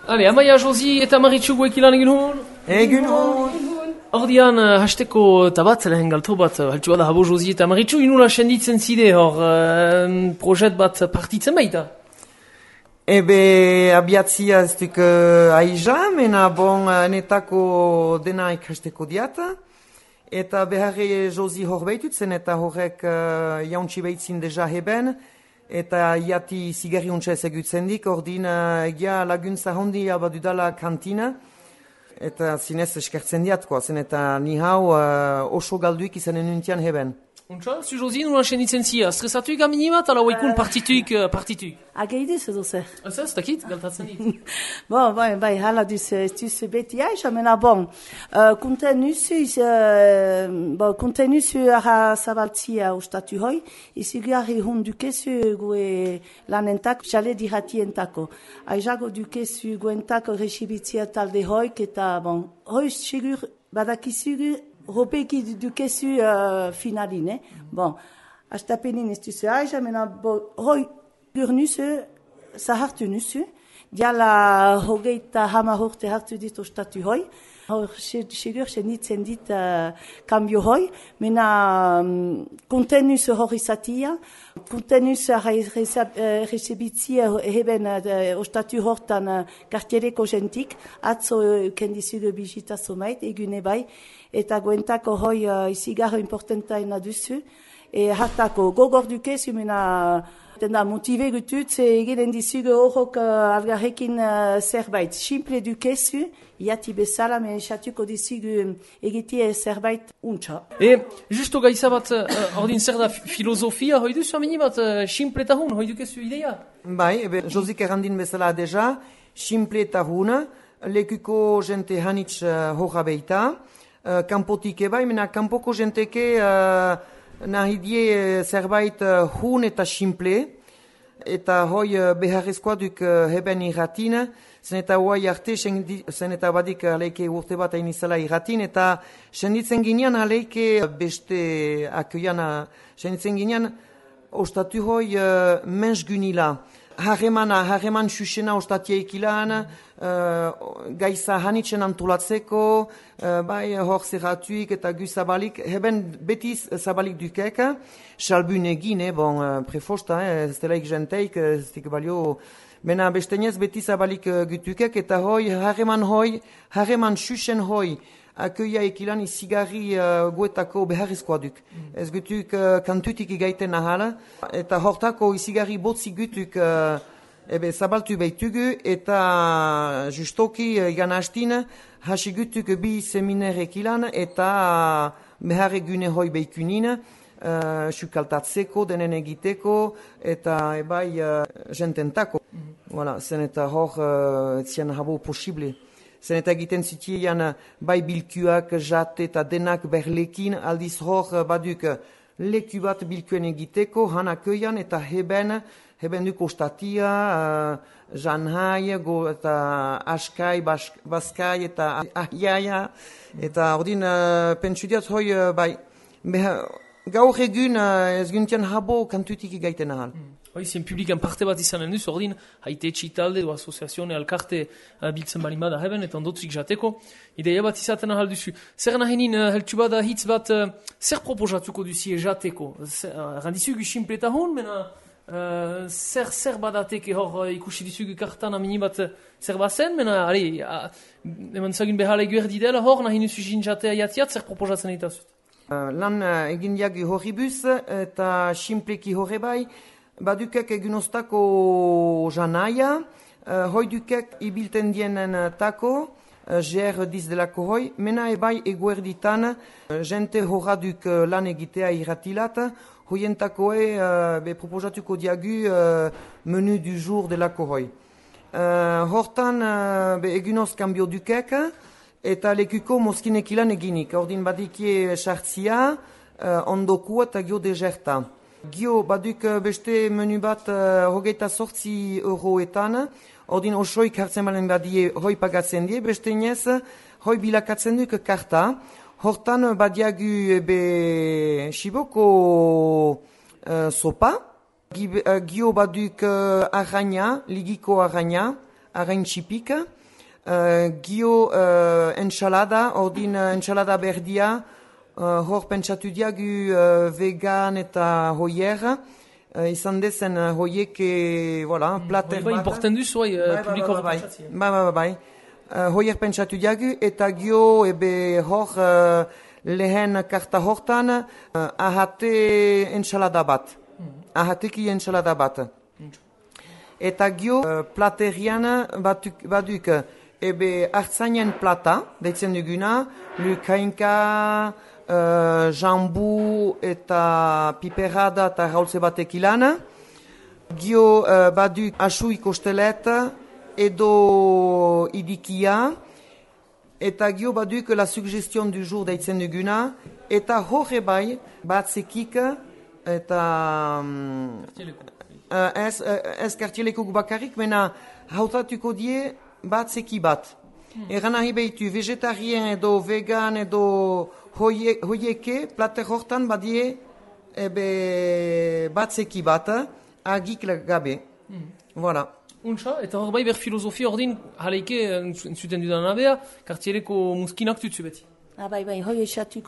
Ale, Amaia, Josi eta Maritxu guek ilan egin hon? Egin hon! Ordian, hasteko tabat, lehen galto bat, haltsu bada habo Josi eta Maritxu, inula senditzen zide hor projet bat partitzen baita? Ebe abiatzia ez duk aiza, mena bon netako dena ikasteko diata. Eta beharre Josi hor behitut zen eta horrek jauntsi behitzin deja heben. Eta iati zigarri untsa ez egutzen dik, ordin egia laguntza hondi abadudala kantina. Eta zinez eskertzen diatkoa zen eta ni hau oso galduik izanen nuntian heben. Untsa, zu Josi nula senditzen zia, stresatuik amini bat, ala waikun partituik? Ageidiz edo zer? Ez dakit, galtatzen dit. Bai, hala duz beti aiza, mena bon. Konten nuzu ara zabaltzia ustatu hoi, izigarri hon dukezu gue lanentak, jale diratientako. Aizago dukezu guentako resibitzia talde hoik eta bon, hoi sigur badakizugu Ropeki dukezu finaline. Bon, astapenin ez duzu aiza, mena hoi gur nuzu, zahartu nuzu, diala hogeita hama horte hartu dit ostatu hoi. Hor, segur, senitzen dit kambio hoi, mena kontenuz hor izatia, kontenuz resebitzia heben ostatu hortan kartiereko jentik, atzo kendizugu bizita somait, egune bai, eta goentako hoi izigarro importantaina duzu, hartako gogor dukezu, mena dena motive gutut, egiten dizugu horrok algarrekin zerbait. Simple dukezu, iati bezala, men esatuko dizugu egitie zerbait untsa. Justo gaiza bat, ordin zer da filosofia, hoi duzu amini bat, simple eta hun, hoi dukezu idea? Bai, Josik errandin bezala deja, simple eta hun, lekuko jente hanitz horra beita, kanpotik ebai, mena kanpoko jenteke nahi die zerbait hun eta simple, eta hoi beharrezkoa duk heben irratin, zen eta hoai arte, zen eta badik aleike urte bat hain izala irratin, eta senditzen ginean aleike beste akioian, senditzen ginean ostatu hoi mens gunila. Harreman susena ostatiaik ilan, gaiza hanitzen antolatzeko, bai hor zerratuik eta gu zabalik, heben betiz zabalik dukek, salbun egin, bon, prefosta, ez delaik jenteik, ez dik balio, mena bestenez beti zabalik gutukek, eta harreman susen hoi, akioia ekilan izigarri guetako beharrizkoa duk. Ez gutuk kantutik igaiten ahala, eta hortako izigarri botzi gutuk zabaltu behitugu, eta justoki igan hastin, hasi gutuk bi seminer ekilan, eta behar egune hoi behikunin, sukaltatzeko, denen egiteko, eta ebai jententako. Voilà, zen eta hor etzian habo posible. Zen eta egiten zitiean bai bilkuak, jate eta denak berlekin, aldiz hor baduk leku bat bilkuen egiteko, hanakoian eta heben duk ostatia, janhai, eta askai, baskai eta ahiaia, eta ordin pentsudiat hoi bai, gaur egun ez guntian habo kantutik egaiten ahal. Hoi, zen publikan parte bat izanen duz, ordin, haite etxitalde do asoziazione alkarte biltzen balimada heben, eta ondotzik jateko, ideia bat izaten ahal duzu. Zer nahenin, heltsu bada hitz bat, zer proposatuko duzi jateko? Randizugu simple eta hon, mena zer badateke hor ikusi dizugu kartan amini bat zer bazen, mena, eman zagin behale guerdi dela hor, nahin duzu jatea jatiat, zer proposatzen itazut? Lan egin diagu horribus, eta simpleki horre bai, badukek egunostako janaia, hoi dukek ibilten dienen tako, ger diz delako hoi, mena ebai eguerditan, jente horra duk lan egitea irratilat, hoientakoe proposatuko diagu menu du jour delako hoi. Hortan egunoz kambio dukek, eta lekuko moskinek ilan eginik, ordin badikie sartzia, ondokua eta gio deserta. Gio, baduk beste menu bat hogeita sortzi euroetan, ordin osoik hartzen balen badie hoi pagatzen die, beste inez hoi bilakatzen duk karta. Hortan badiagu shiboko sopa, gio baduk arraina, ligiko arraina, arain txipik, gio ensalada, ordin ensalada berdia, hor pentsatu diagu vegan eta hoier, izan dezen hoiek, voilà, plater bat. Importen duzu, publiko bat. Bai. Hoier pentsatu diagu, eta gio hor lehen karta hortan ahate ensalada bat. Ahateki ensalada bat. Eta gio platerian baduk hartzainen plata, deitzen duguna, lukainka, jambu eta piperada eta raultze batek ilan. Gio baduk asui kostelet edo idikia. Eta gio baduk la suggestion du jour deitzen duguna. Eta horre bai batzekik eta ez kartielekuk bakarrik, mena hautatuko die batzeki bat. Eran nahi behitu vegetarien edo vegan edo hoieke plater hortan badie batzeki bat, agik gabe. Voilà. Untsa, eta hor bai ber filosofia ordin jaleike entzuten dudan abea, kartieleko muskinak tutsu beti. Bai, hoi esatu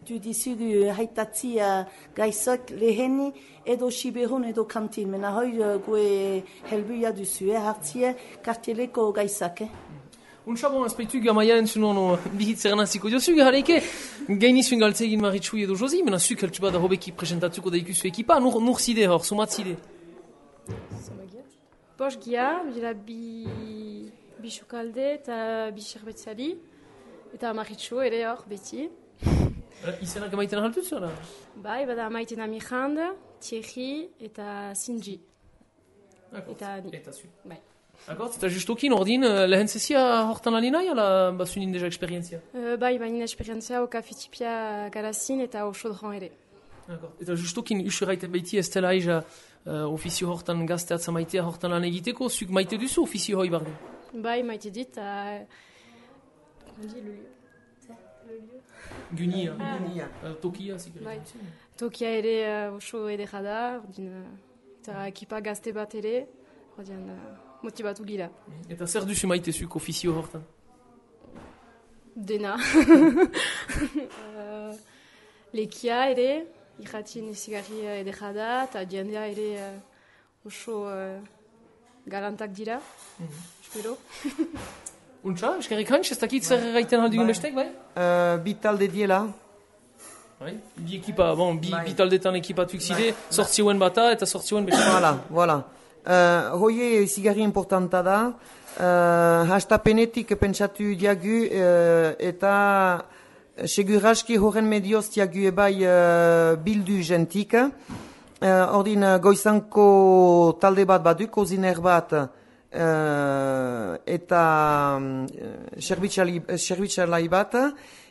dizugu haitatzia gaizak leheni edo siberun edo kantin. Mena hoi gue helbuia duzu, hartzia kartieleko gaizak. Untsa bon, azpeitu gamaia entzunon bihitzeren hasiko diozugu, jaleike gainizuen galtzegin Maritxu edo Josi, mena zuk heltsu bada hobeki presentatuko da ikusu ekipa, nur zide hor, somat zide? Bost gia, bila bi xokalde eta bi xerbetzari, eta Maritxu ere hor beti. Izenak emaiten ahaltuz, oder? Bai, bada maiten Amirand, Thierry eta Sinji. Eta ni. Eta zu. Bai. Akort, eta justokin ordin lehen zezia hortan alinai, ala basunin deja eksperientzia? Bai, baina esperientzia oka fitipia garazin eta osodran ere. Akort, eta justokin usuraiten behiti ez dela aiza ofizio hortan gazteatza maitea hortan lan egiteko, zuk maite duzu ofizio hoi barden? Bai, maite dit, Gunia. Tokia, ziker. Bai. Tokia ere oso edera da, eta ekipa gazte bat ere, motibatu gira. Eta zer duzu maite zuk ofizio hortan? Dena. Lekia ere, irratien ezigarri edera da, eta jendea ere oso galantak dira, espero. Untsa, eskerrik hantz, ez dakit zer gaiten aldugun bestek, bai? Bi talde diela. Bai, bi ekipa, bon, bi taldetan ekipatuik zide, sortzioen bata eta sortzioen bestek. Voilà. Hoie zigarri importanta da, hastapenetik pentsatu diagu eta seguraski horren medioz diagu ebai bildu jentik. Ordin goizanko talde bat baduk, koziner bat, eta serbitxalai bat,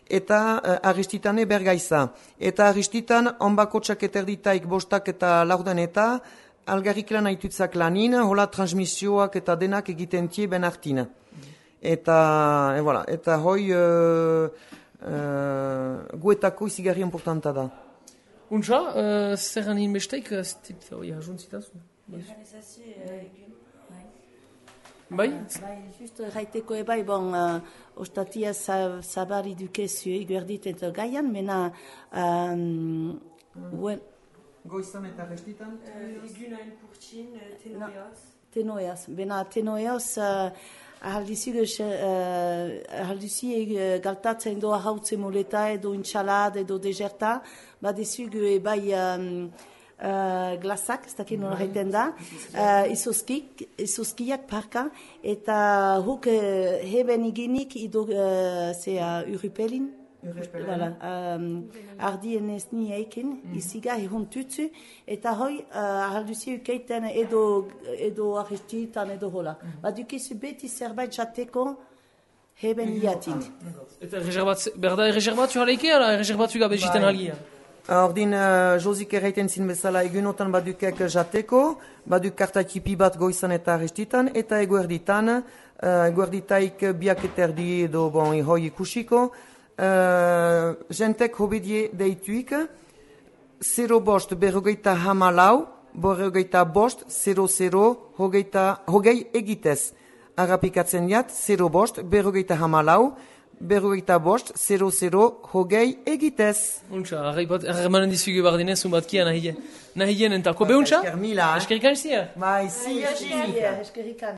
eta aristitane bergaiza. Eta aristitan onbakotxak eterditaik bostak eta laurden eta algarrik lan haitutzak lanin, hola transmisioak eta denak egiten tie ben hartin. Eta hoi guetako izigarri importanta da. Untsa, zer hanin besteik, hoi ajuntzitazu? Bai? Just gaiteko ebai, bon, ostatia zabari dukezu iguerdit eta gaian, mena... Goizan eta restitan? Igunain purtsin, tenoiaz. Tenoiaz. Bena tenoiaz, ahalduzi galtatzen doa hautze moleta edo intxalad edo deserta, badezugu ebai... glasak, ez dakit nola gaiten da, izoskiak parka, eta huk heben igenik ido urupelin, ardien ez ni eiken, iziga ehuntutzu, eta hoi ahalduzi ukeiten edo aristitan edo hola. Badukizu beti zerbait jateko heben iatik. Eta berda erreserbatu jaleike, ala erreserbatu gabe jiten algia? Ordin, Josik erraiten zin bezala egunotan badukek jateko, baduk kartatipi bat goizan eta aristitan, eta eguerditan, eguerditaik biak eterdi edo hoi ikusiko, jentek hobedie deituik, 0 bost berrogeita hamalau, berrogeita bost, 00, hogei egitez. agapikatzen jat, 0 bost, 54, 45 00 hogei egitez. Untxa, harremanen dizugu bardinez, unbatkia nahien entako. Be untxa? Esker mila. Eskerrik anizia? Bai, zi, Eskerrikan.